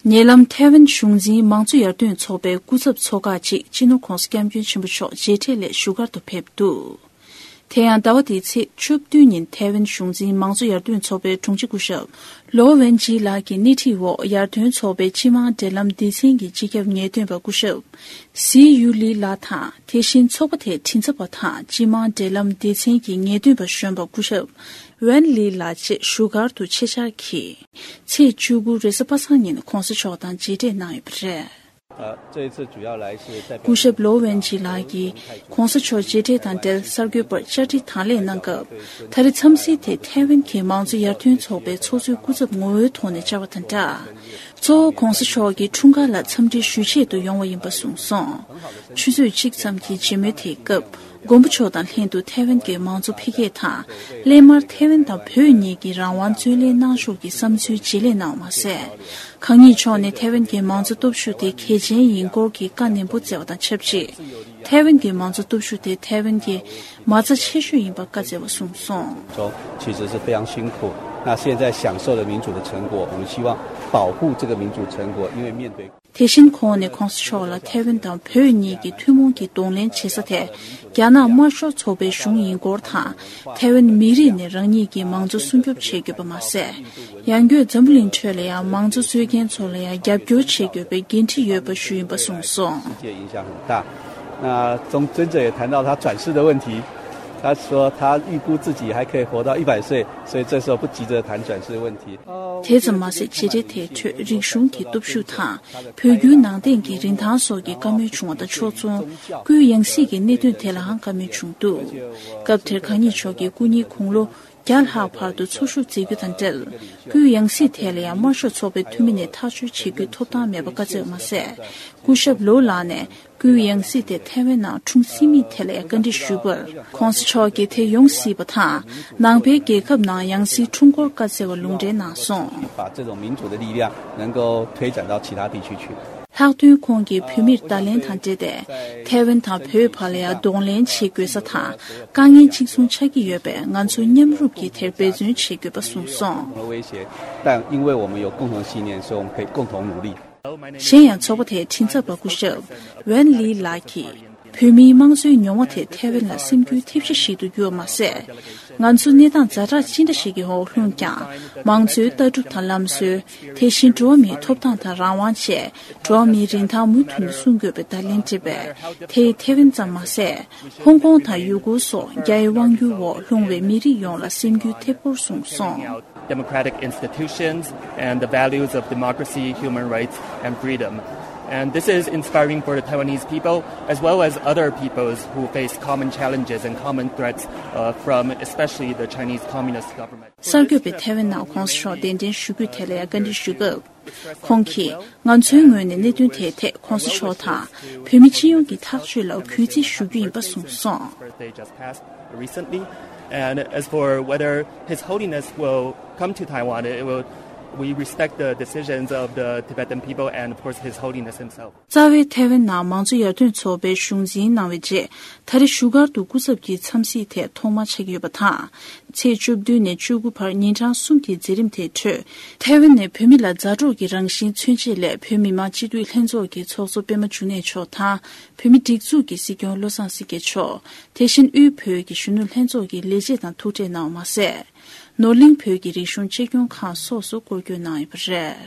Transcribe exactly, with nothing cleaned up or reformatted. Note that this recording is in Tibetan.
ཉེ་ལམ་ཐའེ་ཝན་གཞུང་འཛིན་མང་གཙོ་ཡར་ཐོན་ཚོགས་པའི་སྐུ་ཚབ་ཚོགས་ཁག་ཅིག་སྤྱི་ནོར་༧གོང་ས་༧སྐྱབས་མགོན་ཆེན་པོ་མཆོག་མཇལ་འཕྲད་སླད་བཞུགས་སྒར་དུ་ཕེབས་འདུག་དེ་ཡང་ཟླ་བ་འདིའི་ཚེས་བཅུ་བདུན་ཉིན་ཐའེ་ཝན་གཞུང་འཛིན་མང་གཙོ་ཡར་ཐོན་ཚོགས་པའི་དྲུང་ཆེ་སྐུ་ཞབས་ལོ་ཝན་ཇི་ལགས་ཀྱི་སྣེ་ཁྲིད་འོག་ཡར་ཐོན་ཚོགས་པའི་སྤྱི་དམངས་འབྲེལ་ལམ་སྡེ་ཚན་གྱི་སྤྱི་ཁྱབ་ངེས་སྟོན་པ་སྐུ་ཞབས་སི་ཡུ་ལི་ལགས་དང་། དེ་བཞིན་ཚོགས་པ་དེའི་མགྲིན་ཚབ་པ་དང་སྤྱི་དམངས་འབྲེལ་ལམ་སྡེ་ཚན་གྱི་ངེས་སྟོན་པ་གཞོན་པ་སྐུ་ཞབས་ཝན་ལི་ལགས་བཅས་བཞུགས་སྒར་དུ་ཆེད་བཅར་གྱིས། ཚེས་བཅུ་དགུ་རེས་གཟའ་པ་སངས་ཉིན་༧གོང་ས་མཆོག་དང་མཇལ་འཕྲད་གནང་ཡོད་པ་རེད། 呃，这一次主要来是代表 སྐུ་ཞབས་ལོ་ཝན་ཇི་ལགས་ཀྱིས་༧གོང་ས་མཆོག་མཇལ་འཕྲད་དང་འབྲེལ་གསར་འགོད་པར་བཅར་འདྲི་དང་ལེན་གནང་སྐབས། ད་རེས་འཚམས་གཟིགས་དེ་ཐའེ་ཝན་གྱི་མང་གཙོ་ཡར་ཐོན་ཚོགས་པའི་ཚོགས་གཙོའི་སྐུ་ཚབ་ངོ་བོའི་ཐོག་ནས་བཅར་བ་དང་སྦྲགས། གཙོ་བོ་༧གོང་ས་མཆོག་གི་འཁྲུངས་སྐར་ལ་འཚམས་འདྲི་ཞུ་ཆེད་དུ་ཡོང་བ་ཡིན་པ་གསུངས་སོང་། ཆུ་ཚོད་གཅིག་ཙམ་གྱི་མཇལ་མོལ་དེའི་སྐབས། མགོན་པོ་མཆོག་དང་ལྷན་དུ་ཐའེ་ཝན་གྱི་མང་གཙོ་འཕེལ་རྒྱས་དང་། སླད་མར་ཐའེ་ཝན་དང་བོད་གཉིས་ཀྱི་རང་དབང་རྩོད་ལེན་གནང་ཕྱོགས་ཀྱི་བསམ་ཚུལ་བརྗེ་ལེན་གནང་བ་མ་ཟད། གང་ཉིད་མཆོག་ནས་ཐའེ་ཝན་གྱི་མང་གཙོ་སྟོབས་ཤུགས་དེ་གལ་ཆེན་ཡིན་སྐོར་གྱི་བཀའ་ནན་པོ་སྩལ་བ་དང་ཆབས་ཅིག་ཐའེ་ཝན་གྱི་མང་གཙོ་སྟོབས་ཤུགས་དེ་ཐའེ་ཝན་གྱི་མ་རྩ་ཆེ་ཤོས་ཡིན་པ་བཀའ་སྩལ་བ་གསུངས་སོང་། 中其实是非常辛苦。那现在享受的民主的成果，我们希望保护这个民主成果，因为面对 དེ་བཞིན་ཁོང་ནས་༧གོང་ས་མཆོག་ལ་ཐའེ་ཝན་དང་བོད་གཉིས་ཀྱི་ཐུན་མོང་གི་གདོང་ལེན་བྱེད་ས་དེ་རྒྱ་ནག་དམར་ཤོག་ཚོགས་པའི་གཞུང་ཡིན་སྐོར་དང་། ཐའེ་ཝན་མི་རིགས་ནས་རང་ཉིད་ཀྱི་མང་གཙོ་སྲུང་སྐྱོབ་བྱེད་དགོས་པ་མ་ཟད། ཡང་སྒོས་འཛམ་བུ་གླིང་ཁྲོད་ལ་ཡང་མང་གཙོ་རྩོད་མཁན་ཚོ་ལ་ཡང་རྒྱབ་སྐྱོར་བྱེད་དགོས་པའི་འགན་འཁྲི་ཡོད་པ་ཞུས་ཡིན་པ་གསུངས་སོང་། 世界影响很大。那中尊者也谈到他转世的问题，他说他预估自己还可以活到一百岁，所以这时候不急着谈转世的问题。 དེ་ཙམ་མ་ཟད་མཇལ་འཕྲད་དེའི་ཁྲོད་རིག་གཞུང་གི་སྟོབས་ཤུགས་དང་། བོད་བརྒྱུད་ནང་བསྟན་གྱི་རིན་ཐང་སོགས་ཀྱི་བཀའ་མོལ་བྱུང་བ་དང་ཕྱོགས་མཚུངས། སྐུའི་ཡང་སྲིད་ཀྱི་གནད་དོན་དེ་ལའང་བཀའ་མོལ་བྱུང་འདུག་སྐབས་དེར་གང་ཉིད་མཆོག་གིས་སྐུ་ཉིད་དགུང་ལོ་བརྒྱ་ལྷག་བར་དུ་འཚོ་བཞུགས་མཛད་རྒྱུ་དང་འབྲེལ། སྐུའི་ཡང་སྲིད་ཐད་ལ་ཡང་དམར་ཤོག་ཚོགས་པའི་འཐུས་མི་ནས་ཐག་གཅོད་བྱེད་རྒྱུའི་ཐོབ་ཐང་མེད་པ་བཀའ་སྩལ་བ་མ་ཟད། སྐུ་ཞབས་ལོ་ལགས་ནས། སྐུའི་ཡང་སྲིད་དེ་ཐའེ་ཝན་ནང་འཁྲུངས་སྲིད་མིན་ཐད་ལ་ཡང་བཀའ་འདྲི་ཞུས་པར། ༸གོང་ས་མཆོག་གིས་དེ་ཡོང་སྲིད་པ་དང་། ནང་པའི་རྒྱལ་ཁབ་ནང་ཡང་སྲིད་འཁྲུངས་སྐོར་བཀའ་སྩལ་བ་ལུང་འདྲེན་གནང་སོང་། 把这种民主的力量能够推展到其他地区去。 ལྷག་དོན་ཁོང་གིས་བོད་མིར་བརྡ་ལན་དང་འབྲེལ་ཏེ། ཐའེ་ཝན་དང་བོད་བར་ལ་ཡང་གདོང་ལེན་བྱེད་དགོས་ས་དང་། དཀའ་ངལ་གཅིག་མཚུངས་ཆགས་ཀྱི་ཡོད་པས། ང་ཚོ་མཉམ་རུབ་ཀྱིས་དེར་འབད་བརྩོན་བྱེད་དགོས་པ་གསུངས་སོང་། 威胁，但因为我们有共同信念，所以我们可以共同努力。 གཞན་ཡང་ཚོགས་པ་དེའི་མགྲིན་ཚབ་པ་སྐུ་ཞབས་ཝན་ལི་ལགས་ཀྱིས། བོད་མིའི་དམངས་གཙོའི་མྱོང་བ་དེ་ཐའེ་ཝན་ལ་སེམས་འགུལ་ཐེབས་གཞི་ཞིག་ཏུ་གྱུར་བ་མ་ཟད། ང་ཚོ་གནས་སྟངས་ཛ་དྲག་ཅི་འདྲ་ཞིག་གི་འོག་ལྷུང་ཀྱང་། མང་གཙོའི་ལྟ་གྲུབ་དང་ལམ་སྲོལ། དེ་བཞིན་འགྲོ་བ་མིའི་ཐོབ་ཐང་དང་རང་དབང་བཅས་འགྲོ་བ་མིའི་རིན་ཐང་མུ་མཐུད་ནས་སྲུང་དགོས་པའི་བརྡ་ལན་བསྒྲིགས་པས། དེ་ཡིས་ཐའེ་ཝན་ཙམ་མ་ཟད། ཧོང་ཀོང་དང་ཡུ་གུར་སོགས་རྒྱའི་དབང་སྒྱུར་འོག་ལྷུང་བའི་མི་རིགས་ཡོངས་ལ་སེམས་འགུལ་ཐེབས་སྐོར་གསུངས་སོང་། Democratic institutions and the values of democracy, human rights, and freedom. And this is inspiring for the Taiwanese people, as well as other peoples who face common challenges and common threats uh, from especially the Chinese Communist government. གསར་འགོད་པས་ཐའེ་ཝན་ནང་༸གོང་ས་མཆོག་གདན་འདྲེན་ཞུ་རྒྱུའི་ཐད་ལ་ཡང་བཀའ་འདྲི་ཞུས་སྐབས། ཁོང་གིས་ང་ཚོའི་ངོས་ནས་གནད་དོན་དེའི་ཐད་༸གོང་ས་མཆོག་དང་བོད་མི་སྤྱི་ཡོངས་ཀྱི་ཐག་གཅོད་ལ་གུས་བརྩི་ཞུ་རྒྱུ་ཡིན་པ་གསུངས་སོང་། Birthday just passed recently, and as for whether His Holiness will come to Taiwan, it will, we respect the decisions of the Tibetan people and, of course, His Holiness himself. རྩ་བའི་ཐའེ་ཝན་ནང་མང་གཙོ་ཡར་ཐོན་ཚོགས་པའི་གཞུང་འཛིན་གནང་བའི་རྗེས། ད་རེས་བཞུགས་སྒར་དུ་སྐུ་ཚབ་ཀྱི་འཚམས་གཟིགས་དེ་ཐོག་མ་ཆགས་ཀྱི་ཡོད་པ་དང་། ཚེས་བཅུ་བདུན་ནས་བཅུ་དགུ་བར་ཉིན་གྲངས་གསུམ་གྱི་མཛད་རིམ་དེའི་ཁྲོད། ཐའེ་ཝན་ནས་བོད་མི་ལ་མཛའ་གྲོགས་ཀྱི་རང་བཞིན་མཚོན་ཆེད་སླད་བོད་མི་མང་སྤྱི་འཐུས་ལྷན་ཚོགས་ཀྱི་ཚོགས་གཙོ་པད་མ་འབྱུང་གནས་མཆོག་དང་། བོད་མིའི་སྒྲིག་འཛུགས་ཀྱི་སྲིད་སྐྱོང་བློ་བཟང་སེང་གེ་མཆོག་དེ་བཞིན་དབུས་བོད་ཀྱི་གཞོན་ནུ་ལྷན་ཚོགས་ཀྱི་ལས་བྱེད་དང་ཐུག་འཕྲད་གནང་བ་མ་ཟད། ནོར་གླིང་བོད་ཀྱི་རིག་གཞུང་གཅེས་སྐྱོང་ཁང་སོགས་སུ་སྐོར་སྐྱོད་གནང་ཡོད་པ་རེད།